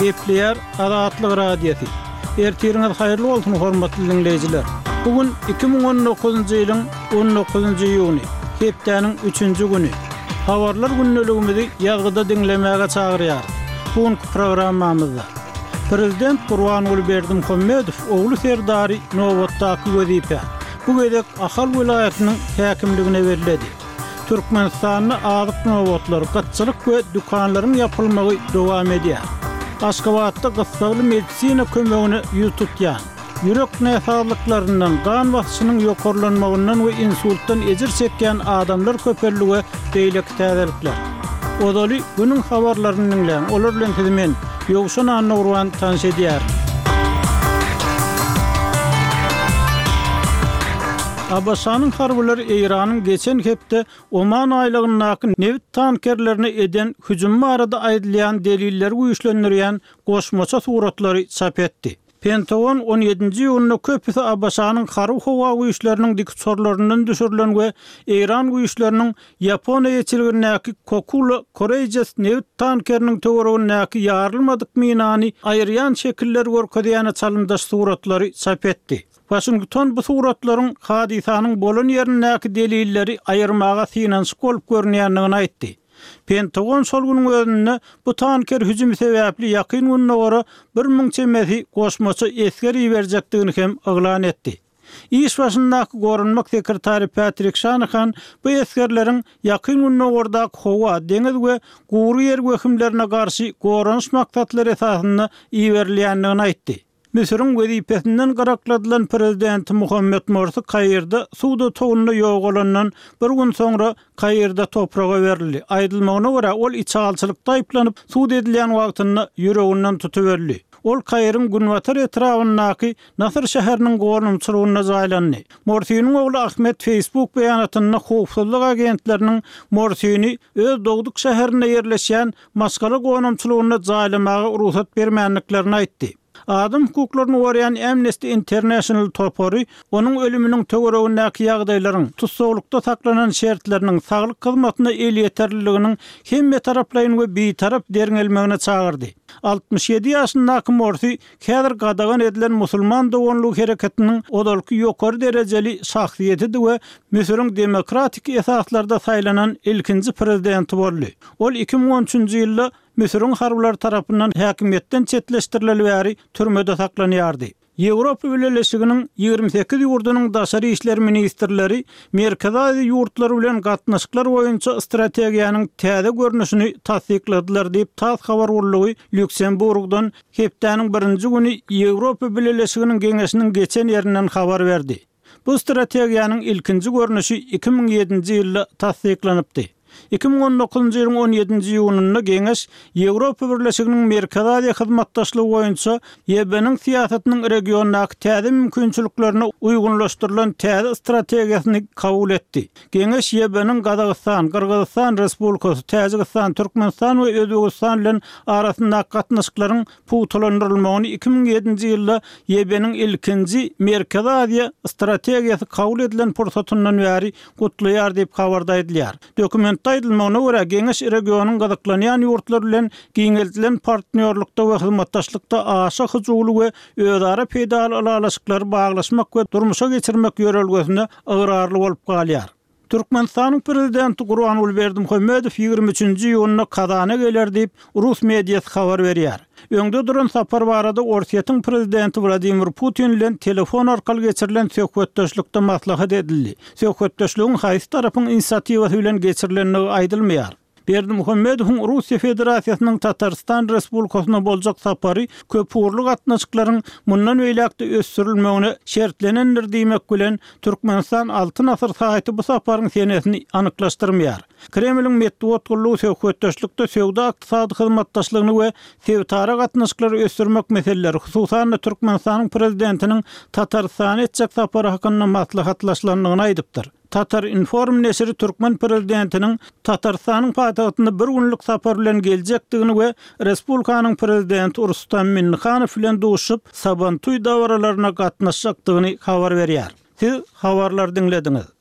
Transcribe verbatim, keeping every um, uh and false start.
Gepleýär Azatlyk Radiosy. Ertiriňiz haýyrly bolsun, hormatly diňleýjiler. Bu gün iki müň on dokuzynjy ýylyň on dokuzynjy iýuny, hepdäniň üçünji güni. Habarlar gündeligimizi ýazgyda diňlemäge çagyrýarys. Bu günki programmamyzda Prezident Gurbanguly Berdimuhamedow ogly Serdary nobatdaky wezipä, bu gezek Ahal welaýatynyň häkimligine belledi. Türkmenistanda azyk nobatlary, gytçylyk we dükanlaryň ýapylmagy dowam edýär. Aşgabatda gyssagly medisina kömegine ýüz tutýan, ýürek näsazlyklaryndan, gan basyşynyň ýokarlanmagyndan we insultdan ejir çekýän adamlar köpeldi we beýleki täzelikler. Ozaly günüň habarlaryny diňläň, olar bilen sizi men, Ýowşan Annagurban tanyş edýärin. A B Ş-nyň harbylary Eýranyň geçen hepde Oman aýlagyndaky nebit tankerlerine eden hüjümi barada aýdylýan delilleri güýçlendirýän goşmaça suratlary çap etdi. Pentagon on ýedinji iýunda köpüsi A B Ş-nyň harby howa güýçleriniň dikuçarlaryndan düşürilen we Eýran güýçleriniň Ýaponiýa ýetilgindäki Kokula Courageous nebit tankeriniň töweregindäki ýarylmadyk minany aýyrýan şekiller görkezýän çalymdaş suratlary çap etdi. Washington bu suratlaryň hadysanyň bolan ýerindäki delilleri aýyrmaga synanyşyk bolup görünýändigini aýtdy. Pentagon şol günüň özünde bu tanker hüjümi sebäpli ýakyn gündogara bir müň çemesi goşmaça esger iberjekdigini hem yglan etdi. Iş başyndaky goranmak sekretary Patrick Shanahan bu esgerleriň ýakyn gündogardaki howa, deňiz we gury ýer wehimlerine garşy goranyş maksatlary esasynda iberilýändigini aýtdy. Müsüriň wezipesinden gyrakladylan prezidenti Muhammed Morsi Kairde suwda towunda ýogalandan bir gün soňra Kairde topraga berildi. Aýdylmagyna görä ol içalçylykda aýyplanyp sud edilýän wagtynda ýüreginden tutuberdi. Ol Kairiň günbatar etrabyndaky Nasr şäheriniň gornumçylygynda jaýlandy. Morsiniň ogly Ahmet Facebook beýanatynda howpsuzlyk agentleriniň Morsini öz dogduk şäherinde ýerleşýän maşgala gonamçylygynda jaýlamaga rugsat bermänliklerini aýtdy. Adam hukuklaryny goraýan Amnesty International topary onuň ölüminiň töweregindäki ýagdaýlaryň, tussaglykda saklanan şertleriniň, saglyk hyzmatyna elýeterliliginiň hemme taraplaýyn we bitarap derňelmegine çagyrdy. Altmyş ýedi ýaşyndaky Morsi häzir gadagan edilen musulman doganlygy hereketiniň ozalky ýokary derejeli şahsyýetidi we Müsüriň demokratik esaslarda saýlanan ilkinji prezidenti boldy. Ol iki müň on üçünji ýylda Müsüriň harbylary tarapyndan häkimiýetden çetleşdirileli bäri türmede saklanýardy. Ýewropa Bileleşiginiň ýigrimi sekiz ýurdunyň daşary işler ministrleri Merkezi Aziýa ýurtlary bilen gatnaşyklar boýunça strategiýanyň täze görnüşini tassykladylar diýip TASS habar gullugy Lýuksemburgdan hepdäniň birinji güni Ýewropa Bileleşiginiň geňeşiniň geçen ýerinden habar berdi. Bu strategiýanyň ilkinji görnüşi iki müň ýedinji ýylda tassyklanypdy. Iki müň on dokuzynjy ýylyň on ýedinji iýunynda geňeş Ýewropa Birleşiginiň Merkezi Aziýa hyzmatdaşlygy boýunça Y B-niň syýasatynyň regiondaky täze mümkinçiliklerine uýgunlaşdyrylan täze strategiýasyny kabul etdi. Geňeş Y B-niň Gazagystan, Gyrgyzystan Respublikasy, Täjigistan, Türkmenistan we Özbegistan bilen arasyndaky gatnaşyklaryň pugtalandyrylmagyny iki müň ýedinji ýylda Y B-niň ilkinji Merkezi Aziýa strategiýasy kabul edilen pursatyndan bäri gutlaýar diýip habarda aýdylýar. Dokumentde aýdylmagyna görä geňeş regionyň gyzyklanýan ýurtlar bilen giňeldilen partnýorlukda we hyzmatdaşlykda aşa hyjuwly we özara peýdaly ylalaşyklary baglaşmak we durmuşa geçirmek ýörelgesine ygrarly bolup galýar. Türkmenistanyň prezidenti Gurbanguly Berdimuhamedow ýigrimi üçünji iýunda Kazana geler diýip Rus mediasy habar berýär. Öňde duran sapar barada Orsýetiň prezidenti Wladimir Putin bilen telefon arkaly geçirilen söhbetdeşlikde maslahat edildi. Söhbetdeşligiň haýsy tarapyň inisiatiwasy bilen geçirilendigi aýdylmaýar. Berdimuhamedowyň Russiýa Federasiýasynyň Tatarstan Respublikasyna boljak sapary köpugurly gatnaşyklaryň mundan beýläk-de ösdürilmegine şertlenendir diýmek bilen Türkmenistan Altyn Asyr saýty bu saparyň senesini anyklaşdyrmaýar. Kremliň metbugat gullugy söhbetdeşlikde söwda ykdysady hyzmatdaşlygyny we sebitara gatnaşyklary ösdürmek meseleleri, hususan-da Türkmenistanyň prezidentiniň Tatarystana etjek sapary hakynda maslahatlaşylandygyny aýdypdyr. Tatar Inform neşiri Türkmen prezidentiniň Tatarystanyň paýtagtynda bir günlük sapar bilen geljekdigini we Respublikanyň prezidenti Rustam Minnihanow bilen duşup Sabantuý dabaralaryna gatnaşjakdygyny habar berýär. Siz habarlar diňlediňiz.